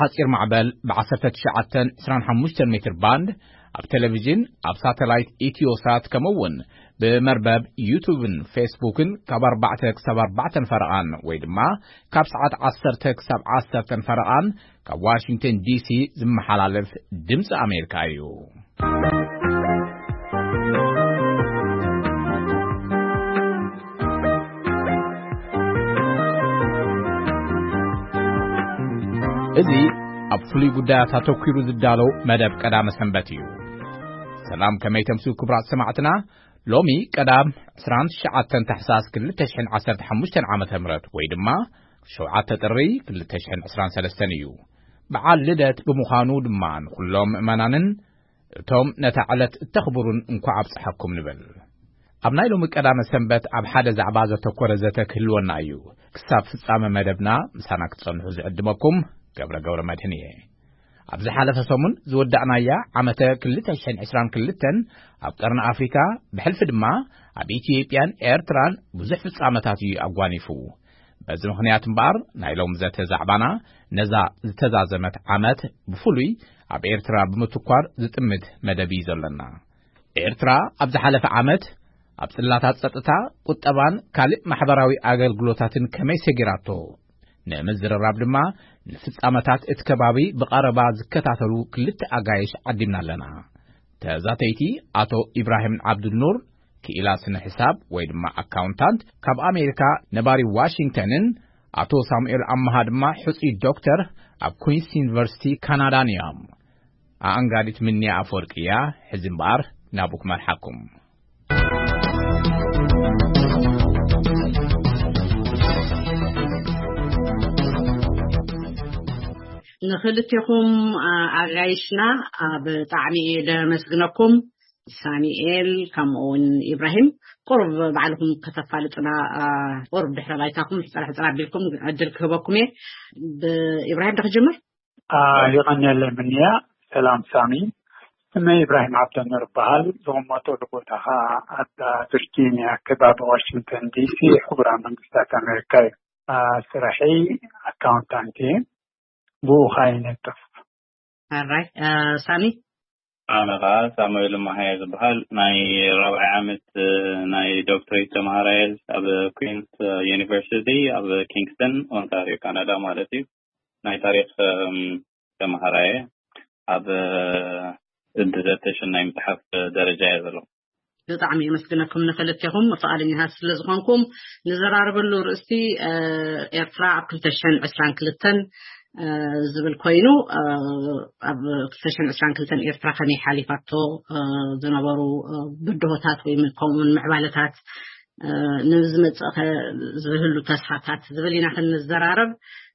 ሓጺር ማዕበል ብ19 25 ሜትር ባንድ፣ ኣብ ቴሌቪዥን፣ ኣብ ሳተላይት ኢትዮሳት፣ ከምኡ እውን ብመርበብ ዩቱብን ፌስቡክን ካብ ኣርባዕተ ክሳብ ኣርባዕተን ፈረቓን ወይ ድማ ካብ ሰዓት ዓሰርተ ክሳብ ዓሰርተን ፈረቓን ካብ ዋሽንግተን ዲሲ ዝመሓላለፍ ድምፂ ኣሜሪካ እዩ። እዚ ኣብ ፍሉይ ጉዳያት ኣተኲሩ ዝዳለው መደብ ቀዳመ ሰንበት እዩ። ሰላም፣ ከመይ ተምስዩ ክቡራት ሰማዕትና? ሎሚ ቀዳም ዕስራን ትሽዓተን ታሕሳስ ክልተ ሽሕን ዓሰርተ ሓሙሽተን ዓመተ ምህረት ወይ ድማ ሸውዓተ ጥሪ ክልተ ሽሕን ዕስራን ሰለስተን እዩ። በዓል ልደት ብምዃኑ ድማ ንኹሎም ምእመናንን እቶም ነታ ዕለት እተኽብሩን እንኳዕ ኣብጽሓኩም ንብል። ኣብ ናይ ሎሚ ቀዳመ ሰንበት ኣብ ሓደ ዛዕባ ዘተኮረ ዘተ ክህልወና እዩ። ክሳብ ፍጻመ መደብና ምሳና ክትጸንሑ ዝዕድመኩም ገብረ ገብረ መድህን እየ። ኣብ ዝሓለፈ ሰሙን ዝወዳእናያ ዓመተ ክልተ ሽሕን ዕስራን ክልተን ኣብ ቀርኒ ኣፍሪካ ብሕልፊ ድማ ኣብ ኢትዮጵያን ኤርትራን ብዙሕ ፍጻመታት እዩ ኣጓኒፉ። በዚ ምኽንያት እምበኣር ናይ ሎም ዘተ ዛዕባና ነዛ ዝተዛዘመት ዓመት ብፍሉይ ኣብ ኤርትራ ብምትኳር ዝጥምት መደብ እዩ ዘለና። ኤርትራ ኣብ ዝሓለፈ ዓመት ኣብ ጽላታት ጸጥታ፣ ቁጠባን ካልእ ማሕበራዊ ኣገልግሎታትን ከመይ ሰጊራቶ ንምዝርራብ ድማ ንፍጻመታት እቲ ከባቢ ብቐረባ ዝከታተሉ ክልተ ኣጋይሽ ዓዲምና ኣለና። ተዛተይቲ ኣቶ ኢብራሂም ዓብዱልኑር፣ ክኢላ ስነ ሕሳብ ወይ ድማ ኣካውንታንት ካብ ኣሜሪካ ነባሪ ዋሽንግተንን ኣቶ ሳሙኤል ኣመሃ ድማ ሕጹይ ዶክተር ኣብ ኩንስ ዩኒቨርሲቲ ካናዳን እዮም። ኣኣንጋዲት ምንያ ኣፈወርቂ እያ። ሕዚ እምበኣር ናብኡ ክመርሓኩም። ንኽልቴኹም፣ ኣ፣ ኣጋይሽና፣ ኣ፣ ብጣዕሚ እየ ደመስግነኩም። ሳሚኤል ከምኡ እውን ኢብራሂም፣ ቁሩብ ባዕልኹም ከተፋልጡና፣ ኣ፣ ቁሩብ ድሕረ ባይታኹም ሕጽር ሕጽር ኣቢልኩም ዕድል ክህበኩም እየ። ብኢብራሂም ዶ ክጅምር? አ፣ ይቐንየለይ ምንያ። ሰላም ሳሚ፣ ስመይ ኢብራሂም ዓብደኑር እበሃል። ዝቕመጠሉ ቦታ ኸዓ ኣብ ቪርጂንያ ከባቢ ዋሽንግተን ዲሲ፣ ሕቡራት መንግስታት ኣሜሪካ እዩ። አ፣ ስራሐይ ኣካውንታንት እየ። ብኡ ኸዓ ይነጥፍ። ኣራይ፣ አ፣ ሳሚ? ኣነ ኸዓ ሳሙኤል መሃየ ዝበሃል ናይ ራብዓይ ዓመት፣ እ፣ ናይ ዶክትሬት ተምሃራይ ኣብ ኩንስ ዩኒቨርሲቲ ኣብ ኪንግስተን ኦንታሪዮ ካናዳ ማለት እዩ። ናይ ታሪኽ፣ እም፣ ተምሃራይ ኣብ፣ እ፣ ብዘተሽን ናይ ምጽሓፍ ደረጃ እየ ዘሎ። ብጣዕሚ የመስግነኩም ንክልቴኹም ፍቓደኛታት ስለ ዝኾንኩም። ንዘራረበሉ ርእስቲ፣ እ፣ ኤርትራ ኣብ ክልተ ሽሕን ዕስራን ክልተን፣ እ፣ ዝብል ኮይኑ፣ እ፣ ኣብ ክልተ ሽሕን ዕስራን ክልተን ኤርትራ ከመይ ሓሊፋቶ፣ እ፣ ዝነበሩ፣ እ፣ ብድሆታት ወይ ም-፣ ከምኡውን ምዕባለታት፣ እ፣ ንዝመጽእ ኸ ዝህሉ ተስፋታት ዝብል ኢና ክንዘራረብ።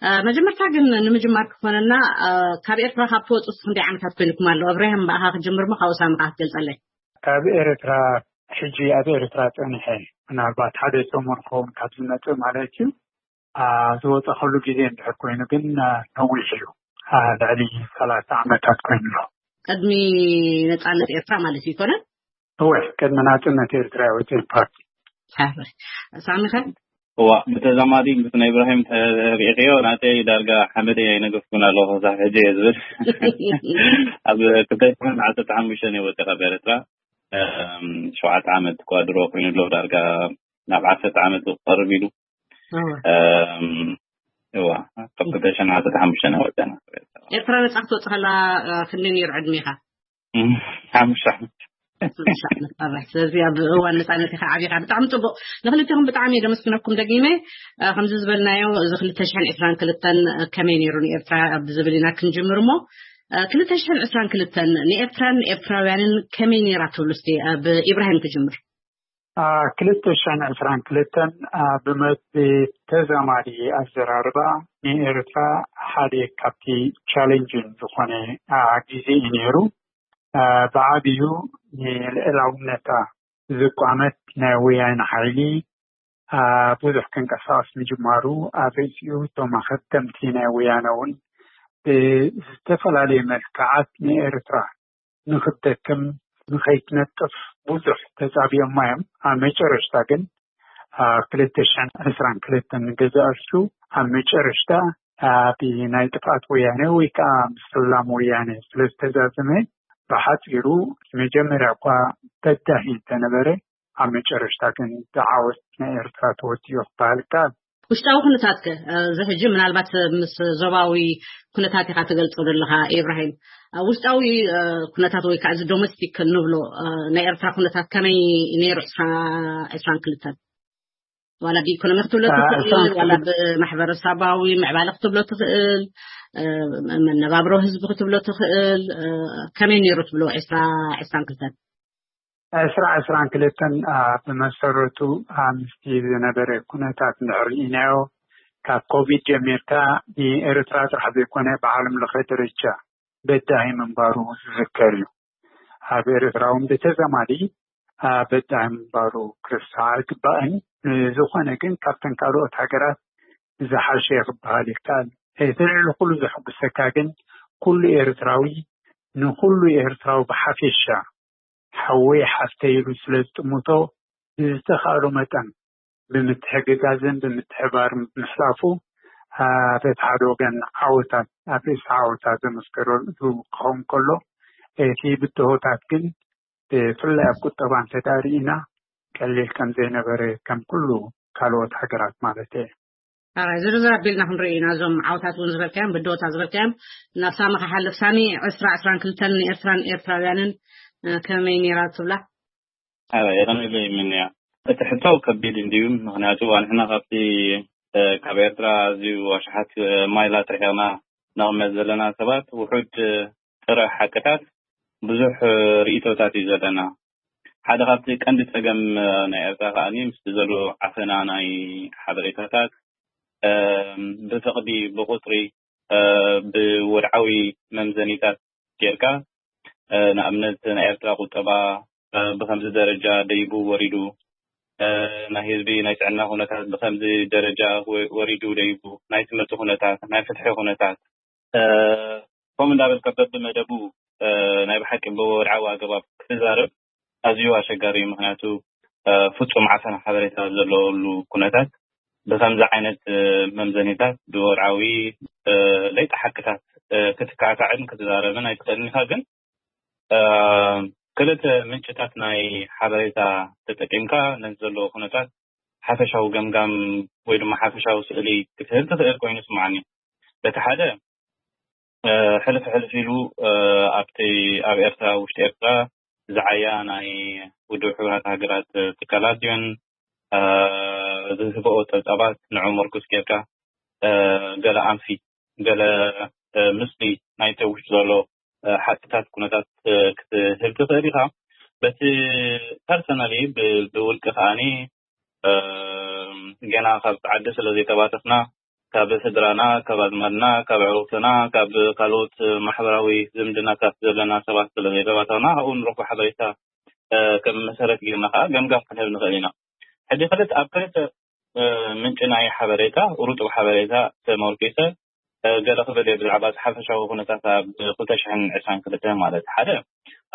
እ፣ መጀመርታ ግን ንምጅማር ክኾነና፣ እ፣ ካብ ኤርትራ ካብ ትወጹ ክንደይ ዓመታት ኮይኑኩም ኣሎ? እብራሂም ብኣኻ ክጅምር እሞ ካብኡ ሳሚ ከኣ ክትገልጸለይ። ካብ ኤርትራ፣ ሕጂ ኣብ ኤርትራ ጸኒሐ፣ ምናልባት ሓደ ሰሙን ክኸውን ካብ ዝመጽእ ማለት እዩ። ኣ፣ ዝወጻኸሉ ግዜ እንድሕር ኮይኑ ግን፣ ኣ፣ ነዊሕ እዩ። ኣ፣ ልዕሊ ሰላሳ ዓመታት ኮይኑ ኣሎ። ቅድሚ ነጻነት ኤርትራ ማለት እዩ ይኮነ? እወ፣ ቅድሚ ናጽነት ኤርትራ እየ ወጺኤ ፓርቲ። ሓራይ። ሳሚ ከ? እዋ፣ ብተዛማዲ ምስ ናይ ኢብራሂም ተሪእኽዮ፣ ናተይ ዳርጋ ሓመድ እየ ኣይነገፍኩን ኣለኹ፣ ክሳብ ሕጂ እየ ዝብል። ኣብ ክልተ ሽሕን ዓሰርተ ሓሙሽተ እየ ወጺኤ ካብ ኤርትራ። እም፣ ሸውዓተ ዓመት እኳ ድሮ ኮይኑ ኣሎ፣ ዳርጋ ናብ ዓሰርተ ዓመት ክቐርብ ኢሉ። እወ። እም፣ እዋ፣ ካብ ክልተ ሽሕን ዓሰርተ ሓሙሽተ ኢና ወጺና። ኤርትራ ነጻ ክትወጽእ ከላ፣ እ፣ ክንደይ ነይሩ ዕድሜኻ? እም፣ ሓሙሽተ ዓመት። ሓሙሽተ ዓመት። ኣራይ። ስለዚ ኣብ እዋን ነጻነት ኢኻ ዓቢኻ። ብጣዕሚ ጽቡቕ። ንክልቴኹም ብጣዕሚ እየ ደመስግነኩም ደጊመ። እ፣ ከምዚ ዝበልናዮ፣ እዚ ክልተ ሽሕን ዕስራን ክልተን ከመይ ነይሩ ንኤርትራ ብዝብል ኢና ክንጅምር እሞ፣ እ፣ ክልተ ሽሕን ዕስራን ክልተን ንኤርትራን ኤርትራውያንን ከመይ ነይራ ትብሉ እስቲ? እ፣ ብኢብራሂም ክጅምር። አ፣ ክልተ ሽሕን ዕስራን ክልተን፣ አ፣ ብመ-፣ ብተዛማዲ ኣዘራርባ ንኤርትራ ሓደ ካብቲ ቻሌንጅን ዝኾነ፣ አ፣ ግዜ እዩ ነይሩ። አ፣ ብዓብዩ ንልዕላውነታ ዝቋመት ናይ ወያነ ሓይሊ፣ አ፣ ብዙሕ ክንቀሳቐስ ምጅማሩ፣ ኣብ ርእሲኡ እቶም ኣኸተምቲ ናይ ወያነ እውን ብዝተፈላለየ መልክዓት ንኤርትራ ንኽትደክም፣ ንኸይትነጥፍ ብዙሕ ተጻቢኦማ እዮም። ኣብ መጨረሽታ ግን፣ ኣብ ክልተ ሽሕን ዕስራን ክልተን ንገዛእ ርእሱ፣ ኣብ መጨረሽታ ብናይ ጥፍኣት ወያነ ወይ ከዓ ምስላም ወያነ ስለ ዝተዛዘመ፣ ብሓፂሩ መጀመርያ እኳ በዳሂ እንተነበረ፣ ኣብ መጨረሽታ ግን ብዓወት ናይ ኤርትራ ተወዲኡ ክበሃል ይከኣል። ውሽጣዊ ኩነታት ከ? እዚ ሕጂ ምናልባት ምስ ዞባዊ ኩነታት ኢኻ ትገልጾ ዘለኻ ኢብራሂም። ውሽጣዊ ኩነታት ወይ ከዓ እዚ ዶሜስቲክ ንብሎ ናይ ኤርትራ ኩነታት ከመይ ነይሩ? ዕስራን ክልተን ዋላ ብኢኮኖሚ ክትብሎ ትኽእል፣ ዋላ ብማሕበረሰባዊ ምዕባለ ክትብሎ ትኽእል፣ መነባብሮ ህዝቢ ክትብሎ ትኽእል። ከመይ ነይሩ ትብሎ ዕስራ ዕስራን ክልተን? ዕስራ ዕስራን ክልተን ብመሰረቱ ምስቲ ዝነበረ ኩነታት እንድሕር ርኢናዮ፣ ካብ ኮቪድ ጀሚርካ ንኤርትራ ጥራሕ ዘይኮነ ብዓለም ለኸ ደረጃ በዳሂ ምንባሩ ዝዝከር እዩ። ኣብ ኤርትራ እውን ብተዛማዲ በዳሂ ምንባሩ ክርሳዕ ኣይግባእን። ዝኾነ ግን ካብተን ካልኦት ሃገራት ዝሓሸ ክበሃል ይከኣል። እቲ ልዕሊ ኩሉ ዘሐጉሰካ ግን ኩሉ ኤርትራዊ ንኩሉ ኤርትራዊ ብሓፈሻ ሓወይ ሓፍተይ ኢሉ ስለ ዝጥምቶ ብዝተኻእሎ መጠን ብምትሕግጋዝን ብምትሕባርን ብምሕላፉ በቲ ሓደ ወገን ዓወታት ኣብ ርእሲ ዓወታት ዘመስከረሉ ክኸውን ከሎ እቲ ብድሆታት ግን ብፍላይ ኣብ ቁጠባ እንተዳርኢና ቀሊል ከም ዘይነበረ ከም ኩሉ ካልኦት ሃገራት ማለት እየ። ኣራይ ዝርዝር ኣቢልና ክንርኢ ኢና። እዞም ዓውታት እውን ዝበልካዮም ብድሆታት ዝበልካዮም ናብ ሳሚ ክሓልፍ። ሳሚ ዕስራ ዕስራን ክልተን ንኤርትራን ኤርትራውያንን ከመይ ነይራ ትብላ? ኣራይ የቐንለ ይምንያ። እቲ ሕቶ ከቢድ እንድዩ። ምክንያቱ ኣንሕና ካብቲ ካብ ኤርትራ ኣዝዩ ኣሽሓት ማይላት ርሒቕና ነቕመጥ ዘለና ሰባት ውሑድ ጥረ ሓቅታት ብዙሕ ርእይቶታት እዩ ዘለና። ሓደ ካብቲ ቀንዲ ጸገም ናይ ኤርትራ ከኣ ምስቲ ዘሎ ዓፈና ናይ ሓበሬታታት ብፍቕዲ ብቁጽሪ ብወድዓዊ መምዘኒታት ጌርካ ንኣብነት ናይ ኤርትራ ቁጠባ ብከምዚ ደረጃ ደይቡ ወሪዱ፣ ናይ ህዝቢ ናይ ጥዕና ኩነታት ብከምዚ ደረጃ ወሪዱ ደይቡ፣ ናይ ትምህርቲ ኩነታት፣ ናይ ፍትሒ ኩነታት ከምኡ እንዳበልካ በብመደቡ ናይ ብሓቂ ብወድዓዊ ኣገባብ ክትዛረብ ኣዝዩ ኣሸጋሪ እዩ። ምክንያቱ ፍጹም ዓፈና ሓበሬታ ዘለሉ ኩነታት ብከምዚ ዓይነት መምዘኒታት ብወድዓዊ ለይጢ ሓቅታት ክትካዕካዕን ክትዛረብን ኣይትኽእልን ኢኻ። ግን ክልተ ምንጭታት ናይ ሓበሬታ ተጠቂምካ ነቲ ዘለዎ ኩነታት ሓፈሻዊ ገምጋም ወይ ድማ ሓፈሻዊ ስእሊ ክትህብ ትኽእል ኮይኑ ይስምዓኒ። በቲ ሓደ ሕልፍ ሕልፍ ኢሉ ኣብቲ ኣብ ኤርትራ ውሽጢ ኤርትራ ዝዓያ ናይ ውድብ ሕቡራት ሃገራት ትካላት ድዮን ዝህበኦ ጸብጻባት ንዑ ምርኩስ ጌርካ ገለ ኣንፊት ገለ ምስሊ ናይቲ ውሽጢ ዘሎ ሓቅታት ኩነታት ክትህብ ትኽእል ኢኻ። በቲ ፐርሰናሊ ብውልቂ ከዓኒ ገና ካብ ዓዲ ስለ ዘይተባተኽና ካብ ስድራና፣ ካብ ኣዝማድና፣ ካብ ኣዕሩኽትና፣ ካብ ካልኦት ማሕበራዊ ዝምድናታት ዘለና ሰባት ስለ ዘይተባተኽና ካብኡ ንረኽቦ ሓበሬታ ከም መሰረት ጌርና ከዓ ገምጋም ክንህብ ንኽእል ኢና። ሕጂ ክልተ ኣብ ክልተ ምንጪ ናይ ሓበሬታ ርጡብ ሓበሬታ ተመርኪሰ ገለ ክብል እየ ብዛዕባ እቲ ሓፈሻዊ ኩነታት ኣብ ክልተ ሽሕን ዕስራን ክልተን ማለት ሓደ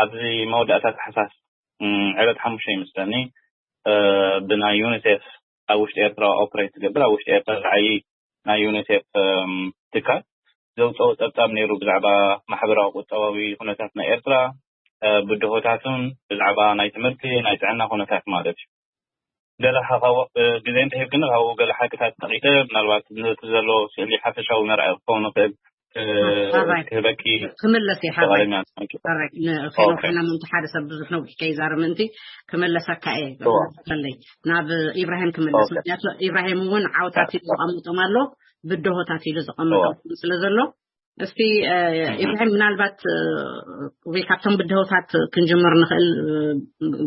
ኣብዚ መወዳእታ ታሕሳስ ዕለት ሓሙሽተ ይመስለኒ ብናይ ዩኒሴፍ ኣብ ውሽጢ ኤርትራ ኦፕሬት ትገብር ኣብ ውሽጢ ኤርትራ ዝዓይ ናይ ዩኒሴፍ ትካል ዘውፅኦ ፀብፃብ ነይሩ ብዛዕባ ማሕበራዊ ቁጠባዊ ኩነታት ናይ ኤርትራ ብድሆታቱን ብዛዕባ ናይ ትምህርቲ ናይ ጥዕና ኩነታት ማለት እዩ። ገለ ግዜ እንተሂብክኒ ካብኡ ገለ ሓቅታት ጠቂሰ ምናልባት ነቲ ዘሎ ስእሊ ሓፈሻዊ መርኣይ ክኸውን ይኽእል ክህበኪ ክምለስ እየ ሓራይ ንፌኖ ኮይና ምእንቲ ሓደ ሰብ ብዙሕ ነዊሕ ከይዛረብ ምእንቲ ክመለሰካ እየ ከለይ ናብ ኢብራሂም ክምለስ ምክንያቱ ኢብራሂም እውን ዓውታት ኢሉ ዘቐምጦም ኣሎ ብድሆታት ኢሉ ዘቐምጦም ስለ ዘሎ እስቲ ኢብራሂም ምናልባት ወይ ካብቶም ብድሆታት ክንጅምር ንኽእል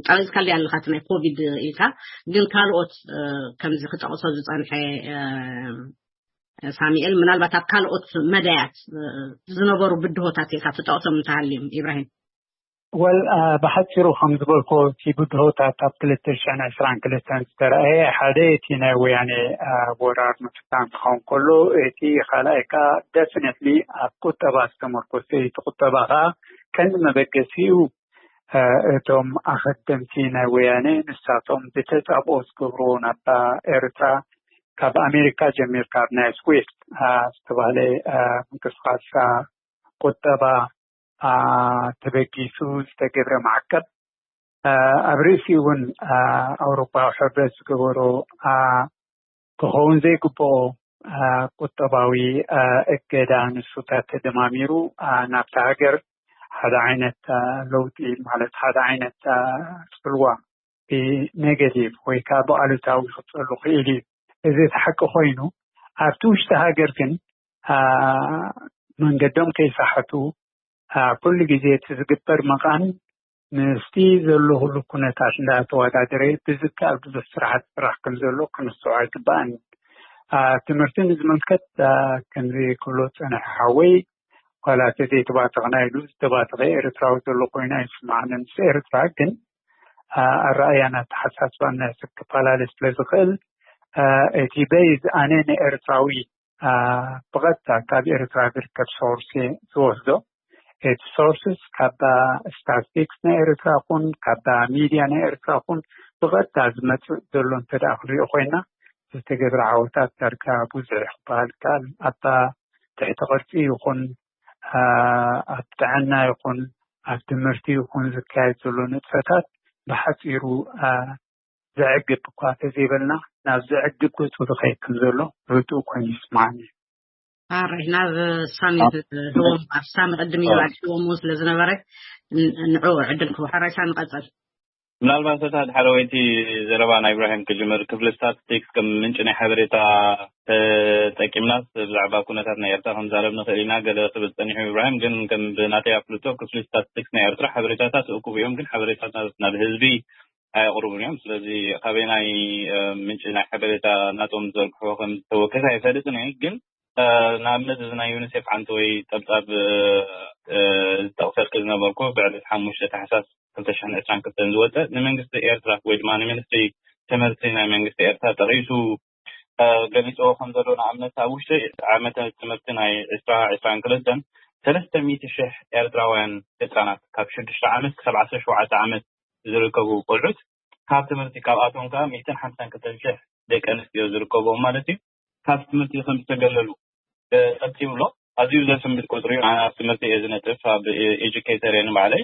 ጠቂስካለይ ኣለኻ እቲ ናይ ኮቪድ ኢልካ ግን ካልኦት ከምዚ ክጠቕሶ ዝፀንሐ ሳሚኤል ምናልባት ኣብ ካልኦት መዳያት ዝነበሩ ብድሆታት ኢልካ ትጠቕሶም እንተሃልዮም ኢብራሂም ወል ብሓፂሩ ከም ዝበልኮ እቲ ብድሆታት ኣብ ክልተ ሽሕን ዕስራን ክልተን ዝተረኣየ ሓደ እቲ ናይ ወያነ ወራር ምፍታን ክኸውን ከሎ እቲ ካልኣይ ከዓ ደፍነትሊ ኣብ ቁጠባ ዝተመርኮሰ እቲ ቁጠባ ከዓ ቀንዲ መበገሲኡ እቶም ኣኸደምቲ ናይ ወያነ ንሳቶም ብተፃብኦ ዝገብርዎ ናብታ ኤርትራ ካብ ኣሜሪካ ጀሚርካ ኣብ ናይ ስዊፍት ዝተባህለ ምንቅስቃስ ቁጠባ ተበጊሱ ዝተገብረ ማዕቀብ፣ ኣብ ርእሲ እውን ኣውሮፓዊ ሕብረት ዝገበሮ ክኸውን ዘይግብኦ ቁጠባዊ እገዳ፣ ንሱታት ተደማሚሩ ናብታ ሃገር ሓደ ዓይነት ለውጢ፣ ማለት ሓደ ዓይነት ጽልዋ ብኔጋቲቭ ወይ ከዓ ብኣሉታዊ ክጸሉ ክእል እዩ። እዚ እቲ ሓቂ ኮይኑ፣ ኣብቲ ውሽጢ ሃገር ግን መንገዶም ከይሳሕቱ ኩሉ ግዜ እቲ ዝግበር መቓን ምስቲ ዘሎ ኩሉ ኩነታት እንዳተወዳደረ ብዝከኣል ብዙሕ ስራሓት ስራሕ ከም ዘሎ ክንስዖ ኣይግባእን። ትምህርቲ ንዝምልከት ከምዚ ክብሎ ዝፀንሐ ሓወይ፣ ዋላ ተዘይተባተኽና ኢሉ ዝተባተኸ ኤርትራዊ ዘሎ ኮይኑ ኣይስማዓንን። ምስ ኤርትራ ግን ኣረኣያን ኣተሓሳስባን ክፈላለ ስለ ዝኽእል፣ እቲ በይዝ ኣነ ንኤርትራዊ ብቐጥታ ካብ ኤርትራ ዝርከብ ሶርስ ዝወስዶ። እቲ ሶርስስ ካብ ስታቲስቲክስ ናይ ኤርትራ ኹን ካብ ሚድያ ናይ ኤርትራ ኹን ብቐጥታ ዝመፅእ ዘሎ እንተ ደኣ ክንሪኦ ኮይና፣ ዝተገብረ ዓወታት ዳርጋ ብዙሕ ክበሃል ይከኣል። ኣብ ትሕቲ ቅርፂ ይኹን ኣብ ጥዕና ይኹን ኣብ ትምህርቲ ይኹን ዝካየድ ዘሎ ንጥፈታት ብሓፂሩ ዘዕግብ እኳ ተዘይበልና፣ ናብ ዘዕግብ ገፁ ዝኸይድ ከም ዘሎ ርዱእ ኮይኑ ይስማዓኒ። ሓራይ ናብ ሳሚ ህዎም ኣብ ሳሚ ቅድም ኢሉ ኣድሕዎም ስለ ዝነበረ ንዑ ዕድል ክቡ ሓራይ ሳሚ ቀጸል። ምናልባት እታ ዳሕረወይቲ ዘረባ ናይ ኢብራሂም ክጅምር፣ ክፍሊ ስታቲስቲክስ ከም ምንጪ ናይ ሓበሬታ ተጠቂምናስ ብዛዕባ ኩነታት ናይ ኤርትራ ክንዛረብ ንኽእል ኢና። ገለ ክብል ጸኒሑ ኢብራሂም፣ ግን ከም ብናተይ ኣፍልጦ ክፍሊ ስታቲስቲክስ ናይ ኤርትራ ሓበሬታታት እኩብ እዮም፣ ግን ሓበሬታታት ናብ ህዝቢ ኣየቕርቡን እዮም። ስለዚ ካበይ ናይ ምንጪ ናይ ሓበሬታ ናቶም ዝዘርግሕዎ ከም ዝተወከሰ ኣይፈልጥን እየ። ግን ንኣብነት እዚ ናይ ዩኒሴፍ ሓንቲ ወይ ጠብጣብ ዝጠቕሰልክ ዝነበርኩ ብዕለት ሓሙሽተ ታሕሳስ ክልተ ሽሕን ዕስራን ክልተን ዝወፀ ንመንግስቲ ኤርትራ ወይ ድማ ንሚኒስትሪ ትምህርቲ ናይ መንግስቲ ኤርትራ ጠቒሱ ገሊፅዎ ከም ዘሎ፣ ንኣብነት ኣብ ውሽጢ ዓመተ ትምህርቲ ናይ ዕስራ ዕስራን ክልተን ሰለስተ ሚእቲ ሽሕ ኤርትራውያን ህፃናት ካብ ሽዱሽተ ዓመት ክሳብ ዓሰርተ ሸውዓተ ዓመት ዝርከቡ ቆልዑት ካብ ትምህርቲ፣ ካብኣቶም ከዓ ሚእትን ሓምሳን ክልተን ሽሕ ደቂ ኣንስትዮ ዝርከብዎም ማለት እዩ፣ ካብ ትምህርቲ ከም ዝተገለሉ ጠቂሱ ኣሎ። ኣዝዩ ዘስንብድ ቁፅሪ እዩ። ኣነ ኣብ ትምህርቲ እየ ዝነጥፍ፣ ኣብ ኤጁኬተር እየ ንባዕለይ።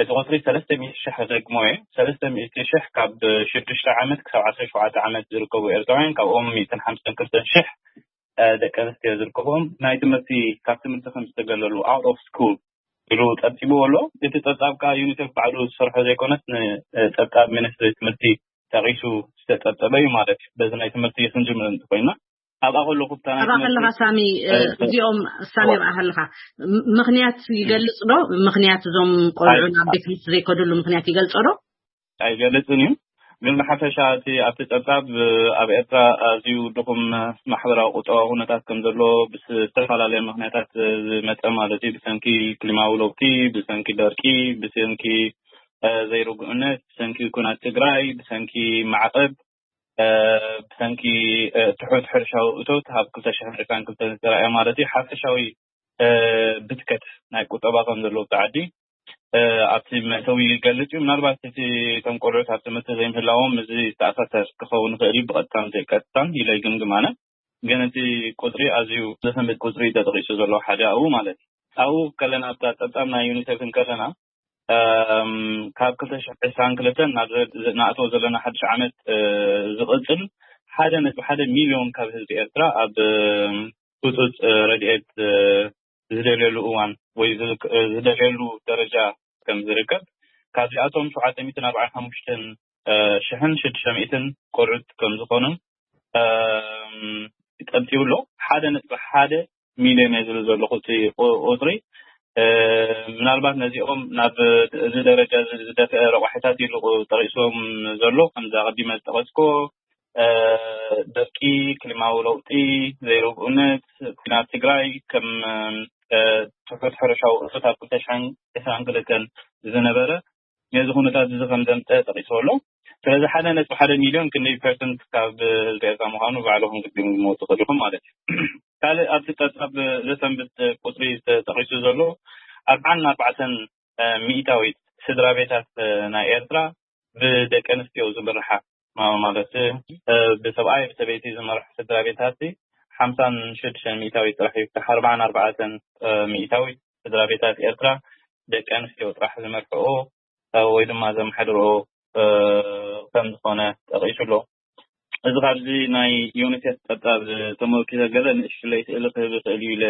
እቲ ቁፅሪ ሰለስተ ሚእቲ ሽሕ ክደግሞ እየ። ሰለስተ ሚእቲ ሽሕ ካብ ሽዱሽተ ዓመት ክሳብ ዓሰርተ ሸውዓተ ዓመት ዝርከቡ ኤርትራውያን፣ ካብኦም ሚእትን ሓምሳን ክልተን ሽሕ ደቂ ኣንስትዮ ዝርከብኦም ናይ ትምህርቲ፣ ካብ ትምህርቲ ከም ዝተገለሉ፣ out of school ኢሉ ጠብጢብዎ ኣሎ። እቲ ጸብጻብ ከኣ ዩኒሴፍ ባዕሉ ዝሰርሖ ዘይኮነስ ንጸብጻብ ሚኒስትሪ ትምህርቲ ጠቒሱ ዝተጸብጸበ እዩ ማለት እዩ። በዚ ናይ ትምህርቲ ክንጅምር እንተኾይና፣ ኣብኣ ከለኹ ብታ ናይ ኣብኣ ከለኻ ሳሚ፣ እዚኦም ሳሚ ኣብኣ ከለኻ ምኽንያት ይገልጽ ዶ? ምኽንያት እዞም ቆልዑ ናብ ቤት ትምህርቲ ዘይከድሉ ምኽንያት ይገልጾ ዶ? ኣይገልጽን እዩ። ግን ብሓፈሻ እቲ ኣብቲ ጸብጻብ ኣብ ኤርትራ ኣዝዩ ድኹም ማሕበራዊ ቁጠባዊ ኩነታት ከም ዘሎ ብዝተፈላለየ ምኽንያታት ዝመጸ ማለት እዩ። ብሰንኪ ክሊማዊ ለውጢ፣ ብሰንኪ ደርቂ፣ ብሰንኪ ዘይርግኡነት፣ ብሰንኪ ኩናት ትግራይ፣ ብሰንኪ ማዕቐብ፣ ብሰንኪ ትሑት ሕርሻዊ እቶት ኣብ ክልተ ሽሕን ዕስራን ክልተን ዝተረኣየ ማለት እዩ። ሓፈሻዊ ብትከት ናይ ቁጠባ ከም ዘለዎ ኣብቲ ዓዲ ኣብቲ መእተዊ ይገልጽ እዩ። ምናልባት እቲ እቶም ቆልዑት ኣብ ትምህርቲ ዘይምህላዎም እዚ ዝተኣሳሰር ክኸውን ይኽእል እዩ፣ ብቐጥታን ዘይቀጥታን ኢለ ይግምግም ኣነ። ግን እቲ ቁጽሪ ኣዝዩ ዘሰንብድ ቁጽሪ እዩ ተጠቒሱ ዘሎ ሓደ ኣብኡ ማለት እዩ። ኣብኡ ከለና ኣብታ ጸብጻብ ናይ ዩኒሴፍ እንከለና ካብ ክልተ ሽሕ ዕስራን ክልተን ናብ ንኣትዎ ዘለና ሓድሽ ዓመት ዝቕጽል ሓደ ነጥቢ ሓደ ሚልዮን ካብ ህዝቢ ኤርትራ ኣብ ህጹጽ ረድኤት ዝደልየሉ እዋን ወይ ዝደልየሉ ደረጃ ከም ዝርከብ፣ ካብዚኣቶም ሸውዓተ ሚእትን ኣርባዓን ሓሙሽተን ሽሕን ሽዱሽተ ሚእትን ቆልዑት ከም ዝኾኑን ጠብጢቡ ኣሎ። ሓደ ነጥቢ ሓደ ሚልዮን እየ ዝብል ዘለኹ እቲ ቁፅሪ። ምናልባት ነዚኦም ናብ እዚ ደረጃ ዝደፍአ ረቋሒታት ኢሉ ጠቒስዎም ዘሎ፣ ከምዚ ኣቐዲመ ዝጠቐስኮ ደርቂ፣ ክሊማዊ ለውጢ፣ ዘይርግኡነት፣ ኩናት ትግራይ ከም ትሑት ሕርሻዊ እቶት ኣብ ክልተ ሽሕን ዕስራን ክልተን ዝነበረ ነዚ ኩነታት እዚ ከም ዘምፀ ጠቒስዎ ኣሎ። ስለዚ ሓደ ነጥቢ ሓደ ሚልዮን ክንደይ ፐርሰንት ካብ ህዝቢ ኤርትራ ምዃኑ ባዕልኹም ክትግምግምዎ ትኽእሉ ኢኹም ማለት እዩ። ካልእ ኣብቲ ጸብጻብ ዘሰንብድ ቁጽሪ ተጠቒሱ ዘሎ ኣርብዓን ኣርባዕተን ሚእታዊት ስድራ ቤታት ናይ ኤርትራ ብደቂ ኣንስትዮ ዝምርሓ ማለት ብሰብኣይ ብሰበይቲ ዝመርሑ ስድራ ቤታት ሓምሳን ሽዱሽተን ሚእታዊ ጥራሕ እዩ። ኣርባዓን ኣርባዕተን ሚእታዊ ስድራ ቤታት ኤርትራ ደቂ ኣንስትዮ ጥራሕ ዝመርሕኦ ወይ ድማ ዘመሓድርኦ ከም ዝኾነ ጠቒሱ ኣሎ። እዚ ካብዚ ናይ ዩኒሴፍ ጸብጻብ ተመልኪተ ገለ ንእሽለይ ስእሊ ክህብ ይኽእል እዩ ኢለ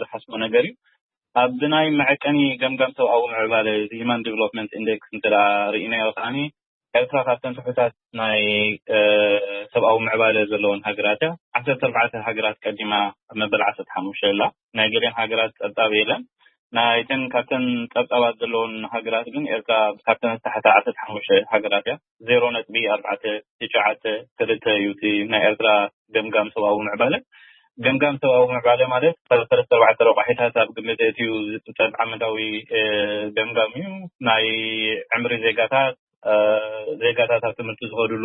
ዝሓስቦ ነገር እዩ። ኣብ ናይ መዐቀኒ ገምጋም ሰብኣዊ ምዕባለ፣ እዚ ሂማን ዲቨሎፕመንት ኢንዴክስ እንተ ርኢናዮ ከዓኒ፣ ኤርትራ ካብተን ትሑታት ናይ ሰብኣዊ ምዕባለ ዘለዎን ሃገራት እያ። ዓሰርተ ኣርባዕተ ሃገራት ቀዲማ ኣብ መበል ዓሰርተ ሓሙሽተ ኣላ። ናይ ገሊአን ሃገራት ጸብጻብ የለን። ናይተን ካብተን ጸብጻባት ዘለዎን ሃገራት ግን ኤርትራ ካብተን ዝተሓተ ዓሰርተ ሓሙሽተ ሃገራት እያ። ዜሮ ነጥቢ ኣርባዕተ ትሽዓተ ክልተ እዩ እቲ ናይ ኤርትራ ገምጋም ሰብኣዊ ምዕባለ። ገምጋም ሰብኣዊ ምዕባለ ማለት ሰለስተ ኣርባዕተ ረቋሒታት ኣብ ግምት ኣእትዩ ዝጥጠብ ዓመታዊ ገምጋም እዩ። ናይ ዕምሪ ዜጋታት፣ ዜጋታት ኣብ ትምህርቲ ዝኸድሉ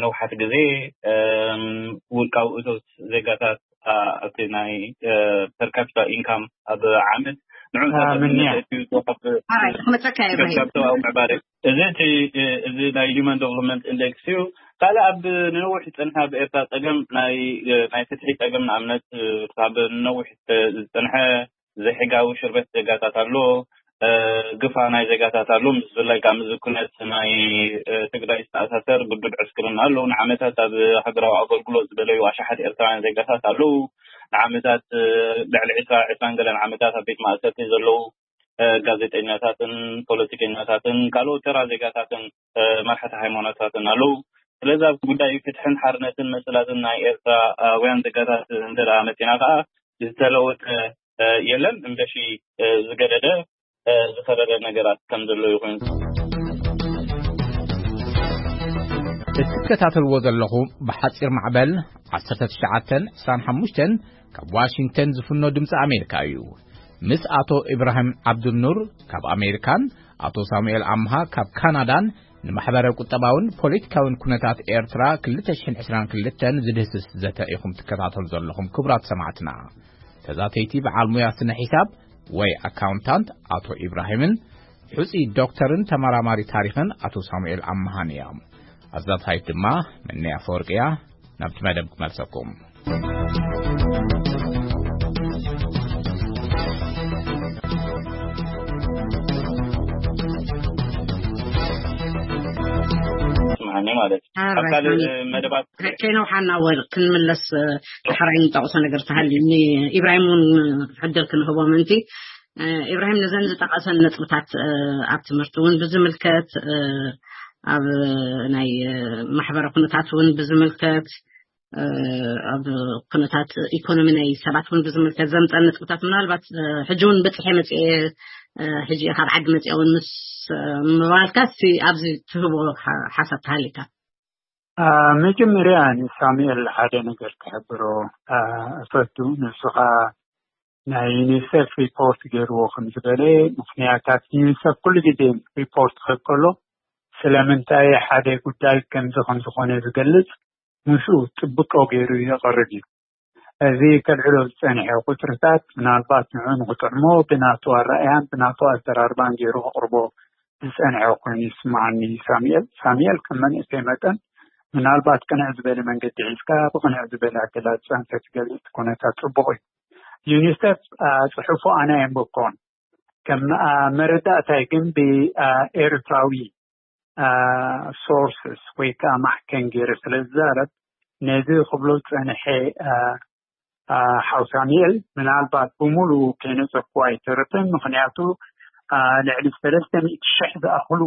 ነውሓት ግዜ፣ ውልቃዊ እቶት ዜጋታት ኣብቲ ናይ ፐር ካፒታ ኢንካም ኣብ ዓመት ንዑ ክመፀካ እየ። እዚ እቲ እዚ ናይ ሂማን ዴቨሎፕመንት ኢንዴክስ እዩ። ካልእ ኣብ ንነዊሕ ዝፀንሐ ኣብ ኤርትራ ፀገም ናይ ናይ ፍትሒ ፀገም ንኣብነት ካብ ነዊሕ ዝፀንሐ ዘይሕጋዊ ሽርበት ዜጋታት ኣሎ፣ ግፋ ናይ ዜጋታት ኣሎ። ምስ ብፍላይ ካብ ምዝኩነት ናይ ትግራይ ዝተኣሳሰር ግዱድ ዕስክርና ኣሎ። ንዓመታት ኣብ ሃገራዊ ኣገልግሎት ዝበለዩ ኣሽሓት ኤርትራውያን ዜጋታት ኣለዉ። ንዓመታት ልዕሊ ዕስራ ዕስራን ገለን ዓመታት ኣብ ቤት ማእሰርቲ ዘለዉ ጋዜጠኛታትን ፖለቲከኛታትን ካልኦት ተራ ዜጋታትን መርሓቲ ሃይማኖታትን ኣለዉ። ስለዚ ኣብ ጉዳይ ፍትሕን ሓርነትን መሰላትን ናይ ኤርትራውያን ዜጋታት እንተ መፂና ከዓ ዝተለወጠ የለን። እምበሺ ዝገደደ ዝኸረረ ነገራት ከም ዘሎ ይኹን። እትከታተልዎ ዘለኹ ብሓፂር ማዕበል ዓሰርተ ትሽዓተን ዕስራን ሓሙሽተን ካብ ዋሽንግተን ዝፍኖ ድምፂ ኣሜሪካ እዩ። ምስ ኣቶ ኢብራሂም ዓብዱኑር ካብ ኣሜሪካን ኣቶ ሳሙኤል ኣምሃ ካብ ካናዳን ንማሕበረ ቁጠባውን ፖለቲካውን ኩነታት ኤርትራ ክልተ ሽሕን ዕስራን ክልተን ዝድህስስ ዘተ ኢኹም ትከታተሉ ዘለኹም ክቡራት ሰማዕትና። ተዛተይቲ በዓል ሙያ ስነ ሒሳብ ወይ ኣካውንታንት ኣቶ ኢብራሂምን ሕፁይ ዶክተርን ተመራማሪ ታሪኽን ኣቶ ሳሙኤል ኣምሃን እዮም። ኣዛታይት ድማ መነይ ኣፈወርቂ እያ። ናብቲ መደብ ክመልሰኩም። ስምዓኒ ማለት እዩ። ኣብ ካልእ መደባት ከይነውሓና ወል ክንምለስ ሓራይ ንጠቕሶ ነገር ተሃልዩ ንኢብራሂም እውን ዕድል ክንህቦ ምእንቲ። ኢብራሂም ነዘን ዝጠቐሰን ነጥብታት ኣብ ትምህርቲ እውን ብዝምልከት ኣብ ናይ ማሕበረ ኩነታት እውን ብዝምልከት ኣብ ኩነታት ኢኮኖሚ ናይ ሰባት እውን ብዝምልከት ዘምፀን ነጥብታት ምናልባት ሕጂ እውን በፂሐ መፅኤ ሕጂ ካብ ዓዲ መፅያ እውን ምስ ምባልካ ኣብዚ ትህቦ ሓሳብ ተሃሊካ። መጀመርያ ንሳሙኤል ሓደ ነገር ክሕብሮ እፈቱ። ንሱ ኸዓ ናይ ዩኒሴፍ ሪፖርት ገይርዎ ከም ዝበለ፣ ምኽንያታት ዩኒሴፍ ኩሉ ግዜ ሪፖርት ክህብ ከሎ ስለምንታይ ሓደ ጉዳይ ከምዚ ከም ዝኾነ ዝገልጽ ምስኡ ጥብቆ ገይሩ የቕርብ እዩ። እዚ ከልዕሎ ዝጸንሐ ቁጽርታት ምናልባት ንዑ ንኽጥዕሞ ብናቱ ኣረኣያን ብናቱ ኣዘራርባን ገይሩ ክቕርቦ ዝጸንሐ ኮይኑ ይስምዓኒ። ሳሙኤል ሳሙኤል ከም መንእሰይ መጠን ምናልባት ቅንዕ ዝበለ መንገዲ ሒዝካ ብቅንዕ ዝበለ ኣገላልጻ እንተትገልጽ ኩነታት ጽቡቕ እዩ። ዩኒሴፍ ጽሑፉ ኣነ ኣየንበብኩዎን። ከም መረዳእታይ ግን ብኤርትራዊ ሶርስስ ወይ ከዓ ማሕከን ገይረ ስለ ዝዛረብ ነዚ ክብሎ ዝጸንሐ ሓው ሳሙኤል ምናልባት ብምሉኡ ከይነጸፍኩ ኣይተርፍን። ምኽንያቱ ልዕሊ ሰለስተ ሚእቲ ሽሕ ዝኣኽሉ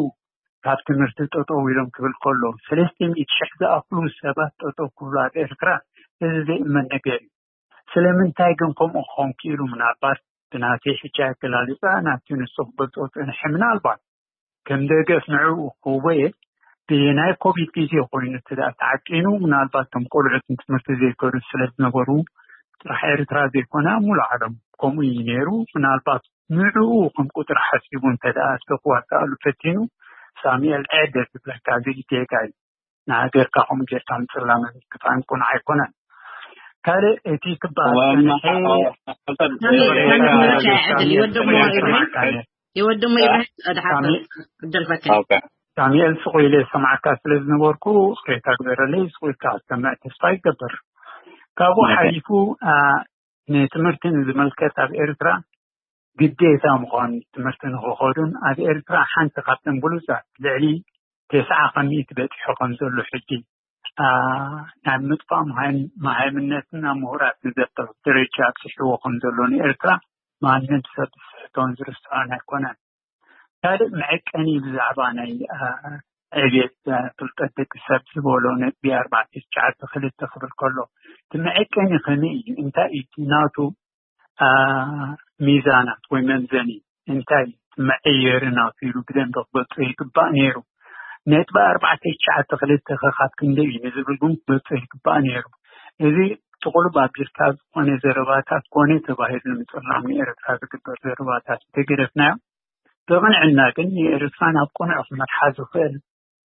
ካብ ትምህርቲ ጠጠው ኢሎም ክብል ከሎ ሰለስተ ሚእቲ ሽሕ ዝኣኽሉ ሰባት ጠጠው ክብሉ ኣብ ኤርትራ እዚ ዘይእመን ነገር እዩ። ስለምንታይ ግን ከምኡ ክኸውን ክኢሉ? ምናልባት ብናተይ ሕጂ ኣገላልፃ ናቲ ንሱ ክገልፆ ዝፀንሐ ምናልባት ከም ደገፍ ንዕኡ ክህቦ እየ። ብናይ ኮቪድ ግዜ ኮይኑ እቲ ደኣ ተዓቂኑ ምናልባት ከም ቆልዑት ንትምህርቲ ዘይከዱ ስለ ዝነበሩ ጥራሕ ኤርትራ ዘይኮነ ኣብ ሙሉእ ዓለም ከምኡ እዩ ነይሩ። ምናልባት ንዕኡ ከም ቁፅሪ ሓሲቡ እንተ ደኣ ክዋሳኣሉ ፈቲኑ ሳሙኤል ዕደ ዝብለካ እዚ ጌጋ እዩ። ንሃገርካ ከምኡ ጌርካ ምፅላምን ክፋን ቁኑዕ ኣይኮነን። ካልእ እቲ ክበሃል ዝፀንሐ ይወድሞ ኢብራሂም ድሓር ዕድል ፈካ ዳንኤል፣ ስቕ ኢለ ዝሰማዕካ ስለ ዝነበርኩ፣ ቅሬታ ግበረለይ። ስቕ ኢልካ ክትሰምዕ ተስፋ ይገብር። ካብኡ ሓሊፉ ንትምህርቲ ንዝምልከት፣ ኣብ ኤርትራ ግዴታ ምዃኑ፣ ትምህርቲ ንክኸዱን፣ ኣብ ኤርትራ ሓንቲ ካብተን ብሉጻት፣ ልዕሊ ተስዓ ከሚእቲ በጺሑ ከም ዘሎ ሕጂ፣ ናብ ምጥፋእ መሃይምነትና ምሁራት ንዘብር ደረጃ ኣብጽሕዎ ከም ዘሎ፣ ንኤርትራ ማንም ሰብ ዝስሕቶን ዝርስዖን ኣይኮነን። ካልእ መዐቀኒ ብዛዕባ ናይ ዕቤት ፍልጠት ደቂ ሰብ ዝበሎ ነጥቢ ኣርባዕተ ትሽዓተ ክልተ ክብል ከሎ፣ እቲ መዐቀኒ ከመይ እዩ? እንታይ እዩ እቲ ናቱ ሚዛናት ወይ መምዘኒ? እንታይ እዩ እቲ መዐየሪ ናቱ ኢሉ ብደንቢ ክገልጾ ይግባእ ነይሩ። ነጥቢ ኣርባዕተ ትሽዓተ ክልተ ከ ካብ ክንደይ እዩ ንዝብል ግን ክገልጾ ይግባእ ነይሩ። እዚ ጥቕሉብ ኣቢልካ ዝኾነ ዘረባታት ኮነ ተባሂሉ ንምጽላም ንኤርትራ ዝግበር ዘረባታት እንተገደፍናዮ፣ ብቕንዕና ግን ንኤርትራ ናብ ቅኑዕ ክመርሓ ዝኽእል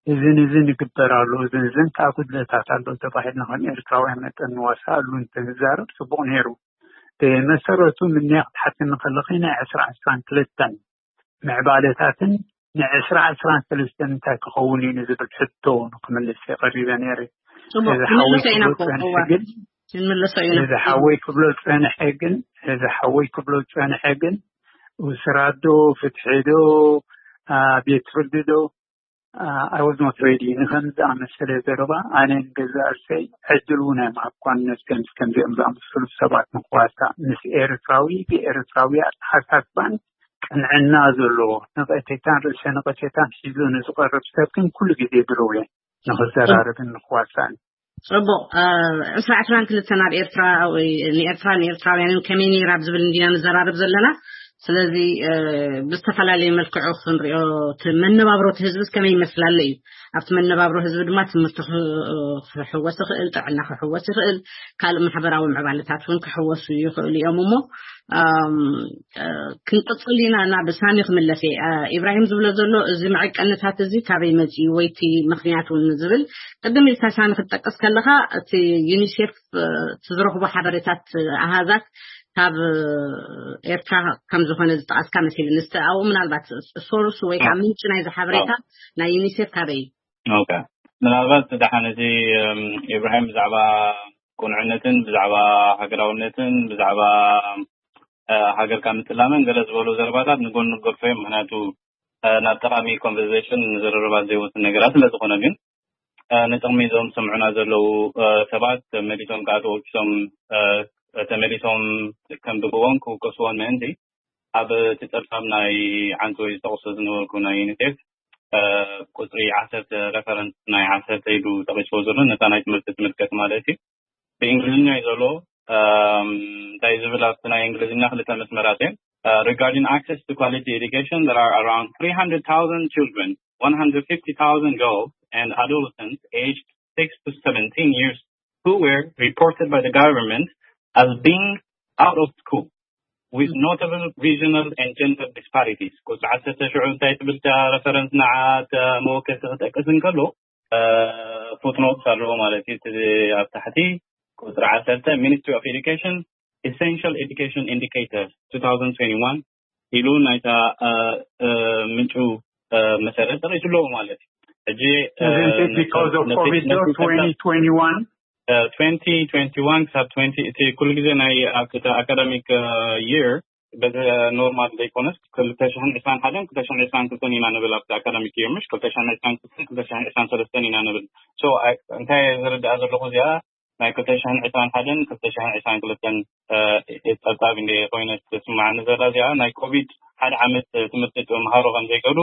እዝን እዝን ይግበር ኣሎ፣ እዝን እዝን ከኣ ጉድለታት ኣሎ ተባሂልና ከም ኤርትራውያን መጠን ንዋሳኣሉ እንተንዛረብ ጽቡቕ ነይሩ። ብመሰረቱ ምንያ ክትሓትኒ ከለኺ ናይ ዕስራ ዕስራን ክልተን ምዕባለታትን ንዕስራ ዕስራን ሰለስተን እንታይ ክኸውን እዩ ንዝብል ሕቶ ንክምልስ የቐሪበ ነይረ። ጽቡቕ፣ ክንምልሶ ኢና እኮ፣ እዋ፣ ክንምልሶ ኢና። እዚ ሓወይ ክብሎ ዝጸንሐ ግን፣ እዚ ሓወይ ክብሎ ዝጸንሐ ግን፣ ውስራት ዶ፣ ፍትሒ ዶ፣ ቤት ፍርዲ ዶ፣ I was not ready ንኸም ዝኣመሰለ ዘረባ። ኣነ ንገዛእ ርእሰይ ዕድል እውን ኣይምሃብኳን፣ ነስከምስ ከምዚኦም ዝኣመሰሉ ሰባት ንክዋሳእ፣ ምስ ኤርትራዊ ብኤርትራዊ ኣተሓሳስባን ቅንዕና ዘለዎ፣ ነቐፌታን ርእሰ ነቐፌታን ሒዙ ንዝቐርብ ሰብ ግን ኩሉ ግዜ ድልው እየ ንኽዘራረብን ንኽዋሳእን። ጽቡቕ። ዕስራ ዕስራን ክልተን ኣብ ኤርትራ ወይ ንኤርትራ ንኤርትራውያንን ከመይ ነይራ ኣብ ዝብል እንዲና ንዘራረብ ዘለና። ስለዚ ብዝተፈላለየ መልክዑ ክንሪኦ፣ እቲ መነባብሮ እቲ ህዝብስ ከመይ ይመስል ኣሎ እዩ። ኣብቲ መነባብሮ ህዝቢ ድማ ትምህርቲ ክሕወስ ይኽእል፣ ጥዕና ክሕወስ ይኽእል፣ ካልእ ማሕበራዊ ምዕባለታት እውን ክሕወሱ ይኽእሉ እዮም። እሞ ክንቅጽል ኢና። ናብ ሳሚ ክምለስ እየ። ኢብራሂም ዝብሎ ዘሎ፣ እዚ መዐቀንታት እዚ ካበይ መጺኡ ወይ እቲ ምኽንያት እውን ዝብል፣ ቅድም ኢልካ ሳሚ ክትጠቅስ ከለኻ፣ እቲ ዩኒሴፍ እቲ ዝረኽቦ ሓበሬታት ኣሃዛት ካብ ኤርትራ ከም ዝኾነ ዝጠቐስካ መሲልኒ። እስቲ ኣብኡ ምናልባት ሶርስ ወይ ካብ ምንጪ ናይዚ ሓበሬታ ናይ ዩኒሴፍ ካበይ እዩ? ኦኬ፣ ምናልባት ደሓን፣ እዚ ኢብራሂም ብዛዕባ ቅኑዕነትን ብዛዕባ ሃገራውነትን ብዛዕባ ሃገርካ ምጥላምን ገለ ዝበሉ ዘረባታት ንጎን ንገድፎ እዮም። ምክንያቱ ናብ ጠቓሚ ኮንቨርሴሽን ንዝርርባት ዘይወስድ ነገራት ስለ ዝኾነ። ግን ንጥቕሚ እዞም ዝሰምዑና ዘለዉ ሰባት ተመሊሶም ከዓ ተወኪሶም ተመሊሶም ከንብብዎን ክውከስዎን ምእንቲ፣ ኣብ እቲ ጸብጻብ ናይ ዓንቶ ዝጠቕሶ ዝነበርኩ ናይ ዩኒሴፍ ቁጽሪ ዓሰርተ፣ ሬፈረንስ ናይ ዓሰርተ ኢሉ ጠቒስዎ ዘሎ፣ ነታ ናይ ትምህርቲ ትምልከት ማለት እዩ። ብእንግሊዝኛ እዩ ዘሎ። እንታይ ዝብል ኣብቲ ናይ እንግሊዝኛ ክልተ መስመራት እየን። Regarding access to quality education, there are around three hundred thousand children, one hundred fifty thousand girls and adolescents aged six to seventeen years who were reported by the government as being out of school with notable regional and gender disparities. ቁጽሪ ዓሰርተ ሽዑ እንታይ ትብል እታ ሬፈረንስ ንዓ መወከሲ ክጠቅስ እንከሎ፣ ፉትኖት ኣለዎ ማለት እዩ። እቲ ኣብ ታሕቲ ቁጽሪ ዓሰርተ፣ Ministry of Education Essential Education Indicators two thousand twenty-one ኢሉ ናይታ ምንጩ መሰረት ጠቂሱ ኣለዎ ማለት እዩ። ሕጂ because of COVID twenty twenty-one twenty twenty-one ክሳብ twenty፣ እቲ ኩሉ ግዜ ናይ ኣካዳሚክ የር በዚ ኖርማል ዘይኮነስ ክልተ ሽሕን ዕስራን ሓደን ክልተ ሽሕን ዕስራን ክልተን ኢና ንብል ኣብቲ ኣካዳሚክ የር፣ ምሽ ክልተ ሽሕን ዕስራን ክልተን ክልተ ሽሕን ዕስራን ሰለስተን ኢና ንብል። So እንታይ ዝርዳእ ዘለኹ፣ እዚኣ ናይ ክልተ ሽሕን ዕስራን ሓደን ክልተ ሽሕን ዕስራን ክልተን ጸብጻብ እንደ ኮይነ ትስማዓኒ ዘላ፣ እዚኣ ናይ ኮቪድ ሓደ ዓመት ትምህርቲ ተምሃሮ ከም ዘይከዱ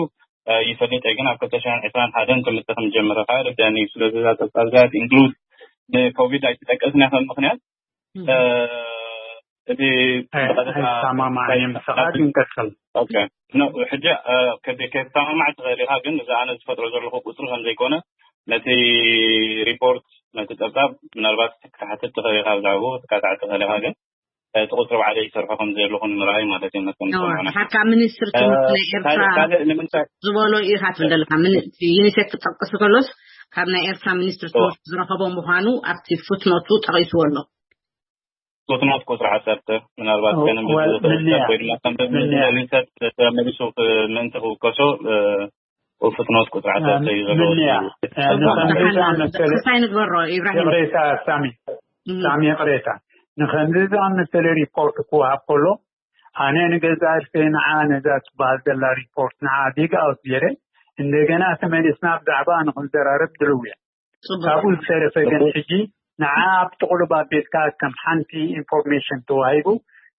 ይፈልጥ እየ፣ ግን ኣብ ክልተ ሽሕን ዕስራን ሓደን ትምህርቲ ከም ዝጀመረ ከዓ ይርዳእኒ እዩ። ስለዚ እዛ ጸብጻብ እዚኣ ኢንክሉድ ንኮቪድ ኣይትጠቀስን እያ ከም ምኽንያት። እቲ ኣይሰማማዕን እየ ምሳኻ፣ ግን ቀጽል። ኦኬ፣ ኖ፣ ሕጂ ከይተሰማማዕ ትኽእል ኢኻ፣ ግን እዚ ኣነ ዝፈጥሮ ዘለኹ ቁጽሪ ከም ዘይኮነ ነቲ ሪፖርት፣ ነቲ ጸብጻብ ምናልባት ክትሓትት ትኽእል ኢኻ፣ ብዛዕባኡ ክትካታዕ ትኽእል ኢኻ፣ ግን እቲ ቁጽሪ ባዕለይ ይሰርሖ ከም ዘለኹ ንምርኣይ ማለት እዩ። መሰም ድሓር ካብ ሚኒስትሪ ትምህርቲ ናይ ኤርትራ ዝበሎ ኢኻ ትብል ዘለኻ። ዩኒሴፍ ክጠቅስ ከሎስ ካብ ናይ ኤርትራ ሚኒስትሪ ትምህርቲ ዝረኸቦ ምዃኑ ኣብቲ ፉትኖቱ ጠቒስዎ ኣሎ። ፉትኖት ቁጽሪ ዓሰርተ ምናልባት ከነንብብ ዝኽእል ሰብ ወይ ድማ ከምዚ ዝደሊ ሰብ ተመሊሱ ምእንቲ ክውከሶ ፍጥኖት ቁፅዓታት እዩ ዘለዎ። ምንያ? ንኸምዚ ደሓን ዝኣመሰለ ክሳይ ንግበሮ፣ ኢብራሂም። ይቕሬታ ሳሚ፣ እም። ሳሚ፣ ይቕሬታ። ንኸምዚ ዝኣመሰለ ሪፖርት ክወሃብ ከሎ፣ ኣነ ንገዛ ርእሰይ ንዓ ነዛ ትበሃል ዘላ ሪፖርት ንዓ ዲግ ኣውት ገይረ፣ እንደገና ተመሊስና ብዛዕባ ንኽንዘራረብ ድልው እየ። ጽቡቕ። ካብኡ ዝተረፈ ግን ሕጂ ንዓ ኣብ ጥቕሉብ ኣቤትካ ከም ሓንቲ ኢንፎርሜሽን ተዋሂቡ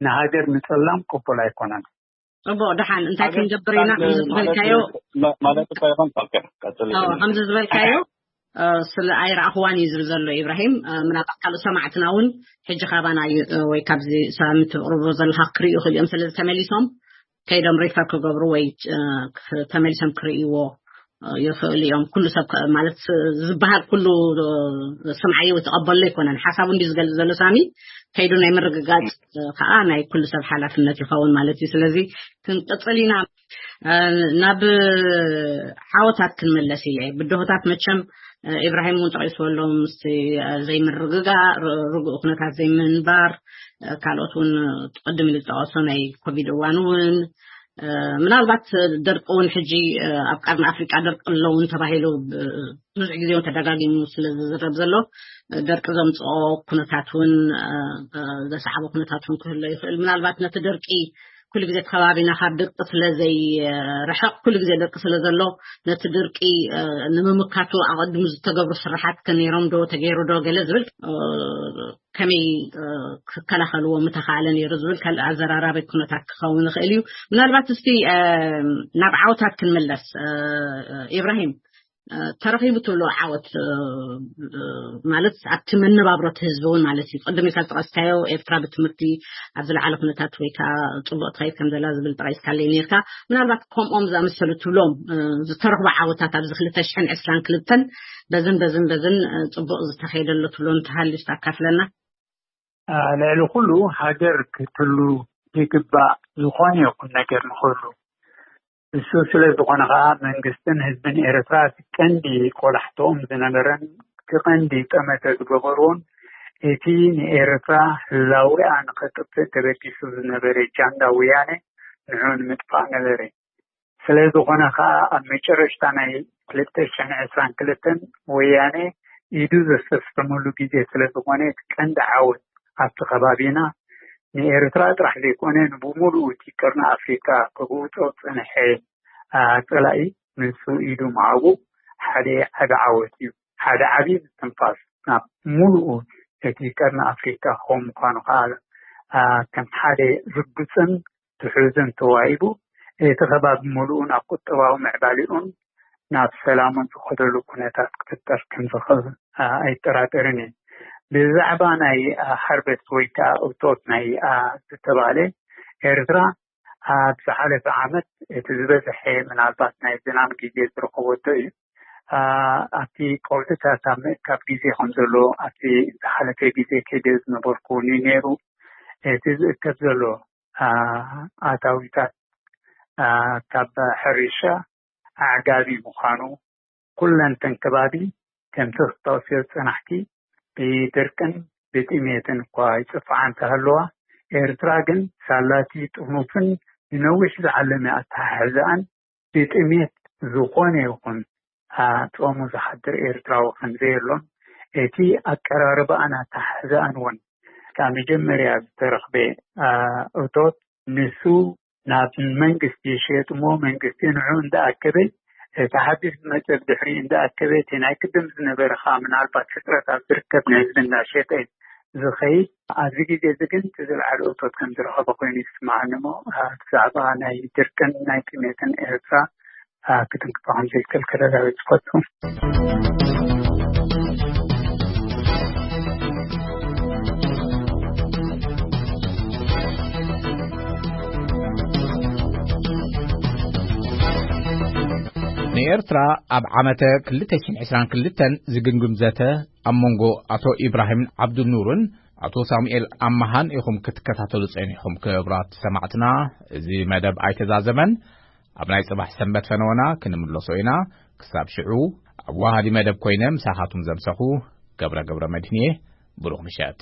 ንሃገር ምጽላም ቅቡል ኣይኮነን። ጽቡቕ፣ ደሓን እንታይ ሃገር ክንገብር ኢና? ከምዚ ዝበልካዮ ማ-፣ ማለት እኮ ይኾን? ኦኬ፣ ቀጽል። ከምዚ ዝበልካዮ፣ እ፣ ስለ ኣይረኣኽዋን እዩ ዝብል ዘሎ ኢብራሂም። እ፣ ምናልባት ካልእ ሰማዕትና እውን ሕጂ ካባና እዩ፣ እ፣ ወይ ካብዚ ሳምንት ትቕርቦ ዘለኻ ክርእዩ ይኽእሉ እዮም። ስለዚ ተመሊሶም ከይዶም ሪፈር ክገብሩ ወይ፣ እ፣ ክ-፣ ተመሊሶም ክርእይዎ፣ እ፣ ይኽእሉ እዮም። ኩሉ ሰብ ከ-፣ ማለት ዝበሃል ኩሉ፣ እ፣ ስምዓዮ ተቐበሎ ኣይኮነን። ሓሳቡ እንዲ ዝገልጽ ዘሎ ሳሚ ከይዱ ናይ ምርግጋጽ፣ እ፣ ከዓ ናይ ኩሉ ሰብ ሓላፍነት ይኸውን ማለት እዩ። ስለዚ ክንቅጽል ኢና። እ፣ ናብ ዓወታት ክንመለስ ኢለ። ብድሆታት መቸም፣ እ፣ ኢብራሂም እውን ጠቒስዎ ኣሎ፣ ምስቲ፣ እ፣ ዘይምርግጋእ፣ ር-፣ ርጉእ ኩነታት ዘይምንባር፣ እ፣ ካልኦት እውን ቅድም ኢሉ ዝጠቐሶ ናይ ኮቪድ እዋን እውን፣ እ፣ ምናልባት ደርቂ እውን ሕጂ፣ እ፣ ኣብ ቀርኒ ኣፍሪቃ ደርቂ ኣለውን ተባሂሉ ብ-፣ ብዙሕ ግዜ እውን ተደጋጊሙ ስለ ዝዝረብ ዘሎ፣ እ፣ ደርቂ ዘምጽኦ ኩነታት እውን፣ እ፣ እ፣ ዘሰዓቦ ኩነታት እውን ክህሎ ይኽእል። ምናልባት ነቲ ደርቂ ኩሉ ግዜ እቲ ከባቢና ካብ ደቂ ስለ ዘይርሕቕ፣ ኩሉ ግዜ ደቂ ስለ ዘሎ፣ ነቲ ድርቂ፣ እ፣ ንምምካቱ ኣቐድሙ ዝተገብሩ ስራሓት ከ ነይሮም ዶ፣ ተገይሩ ዶ፣ ገለ ዝብል፣ እ፣ ከመይ፣ እ፣ ክከላኸልዎ ምተኻእለ ነይሩ ዝብል ካልእ ኣዘራራቢ ኩነታት ክኸውን ይኽእል እዩ። ምናልባት እስቲ፣ እ፣ ናብ ዓወታት ክንምለስ፣ እ፣ ኢብራሂም። እ፣ ተረኺቡ ትብሎ ዓወት፣ እ፣ እ፣ ማለት ኣብቲ መነባብሮ እቲ ህዝቢ እውን ማለት እዩ። ቅድም ኢልካ ዝጠቐስካዮ ኤርትራ ብትምህርቲ ኣብ ዝለዓለ ኩነታት ወይ ከዓ ጽቡቕ ትኸይድ ከም ዘላ ዝብል ጠቒስካለይ ነርካ። ምናልባት ከምኦም ዝኣመሰሉ ትብሎም፣ እ፣ ዝተረኽቡ ዓወታት ኣብዚ ክልተ ሽሕን ዕስራን ክልተን በዝን በዝን በዝን፣ እ፣ ጽቡቕ ዝተኸየደሎ ትብሎ እንተሃልዩ ኣካፍለና። እ፣ ልዕሊ ኩሉ ሃገር ክትህሉ ይግባእ፣ ዝኾነ ይኹን ነገር ንኽህሉ። እሱ ስለ ዝኾነ ኸኣ መንግስትን ህዝብን ኤርትራ እቲ ቀንዲ ቆላሕትኦም ዝነበረን እቲ ቀንዲ ጠመተ ዝገበርዎን እቲ ንኤርትራ ህላዌኣ ንኸጥፍእ ተበጊሱ ዝነበረ ጃንዳ ወያነ ንዑ ንምጥፋእ ነበረ። ስለ ዝኾነ ኸኣ ኣብ መጨረሽታ ናይ ክልተ ሽሕን ዕስራን ክልተን ወያነ ኢዱ ዘሰስሐመሉ ግዜ ስለ ዝኾነ እቲ ቀንዲ ዓወት ኣብቲ ከባቢና ንኤርትራ ጥራሕ ዘይኮነ ንብሙሉኡ እቲ ቀርኒ ኣፍሪቃ ክግውጾ ዝጸንሐ፣ አ፣ ጸላኢ ንሱ ኢዱ ምሃቡ ሓደ ዓቢ ዓወት እዩ። ሓደ ዓቢ ምስትንፋስ ናብ ሙሉኡ እቲ ቀርኒ ኣፍሪቃ ክኸውን ምዃኑ ከኣ፣ አ፣ ከም ሓደ ርግጽን ትሑዝን ተዋሂቡ፣ እቲ ከባቢ ሙሉኡ ናብ ቁጠባዊ ምዕባሌኡን ናብ ሰላሙን ዝኸደሉ ኩነታት ክፍጠር ከም ዝኽእል፣ አ፣ ኣይጠራጠርን እየ። ብዛዕባ ናይ፣ አ፣ ሃርቨስት ወይ ከኣ እቶት ናይ፣ አ፣ ዝተባህለ ኤርትራ ኣብ ዝሓለፈ ዓመት እቲ ዝበዝሐ ምናልባት ናይ ዝናም ግዜ ዝረኸበቶ እዩ። አ፣ ኣብቲ ቀውዕታት ኣብ ምእካብ ግዜ ከም ዘሎ ኣብቲ ዝሓለፈ ግዜ ከይደ ዝነበርኩ ነይሩ። እቲ ዝእከብ ዘሎ፣ አ፣ ኣታዊታት፣ አ፣ ካብ ሕርሻ ኣዕጋቢ ምዃኑ ኩለን ተን ከባቢ ከምቲ ክጠቕስዮ ዝጸናሕኪ ብድርቅን ብጥሜትን እኳ ይጽፍዓ እንተሃለዋ፣ ኤርትራ ግን ሳላቲ ጥሙፍን ንነዊሕ ዝዓለመ ኣተሓሕዛኣን ብጥሜት ዝኾነ ይኹን፣ አ፣ ጾሙ ዝሓድር ኤርትራዊ ከም ዘየሎን እቲ ኣቀራርባኣን ኣተሓሕዛኣን እውን ካብ መጀመርያ ዝተረኽበ፣ አ፣ እቶት ንሱ ናብ መንግስቲ ይሸየጥ እሞ መንግስቲ ንዑ እንዳኣከበ እቲ ሓድሽ ዝመጸ ብድሕሪ እንዳኣከበ እቲ ናይ ቅድም ዝነበረ ከዓ ምናልባት ሕጽረት ኣብ ዝርከብ ናይ ህዝቢ እንዳሸጠ ዝኸይድ ኣብዚ ግዜ እዚ ግን እቲ ዝለዓለ እቶት ከም ዝረኸበ ኮይኑ ይስምዓኒ እሞ ብዛዕባ ናይ ድርቅን ናይ ጥሜትን ኤርትራ ክትንክፎ ከም ዘይክእል ከረጋግጽ ይፈቱ። ንኤርትራ ኣብ ዓመተ ክልተ ሽሕን ዕስራን ክልተን ዝግምግም ዘተ ኣብ መንጎ ኣቶ ኢብራሂም ዓብዱኑርን ኣቶ ሳሙኤል ኣማሃን ኢኹም ክትከታተሉ ጸኒሕኩም። ክቡራት ሰማዕትና፣ እዚ መደብ ኣይተዛዘመን። ኣብ ናይ ጽባሕ ሰንበት ፈነወና ክንምለሶ ኢና። ክሳብ ሽዑ፣ ኣብ ወሃዲ መደብ ኮይነ ምሳኻትኩም ዘምሰኹ ገብረ ገብረ መድህን እየ። ብሩኽ ምሸት።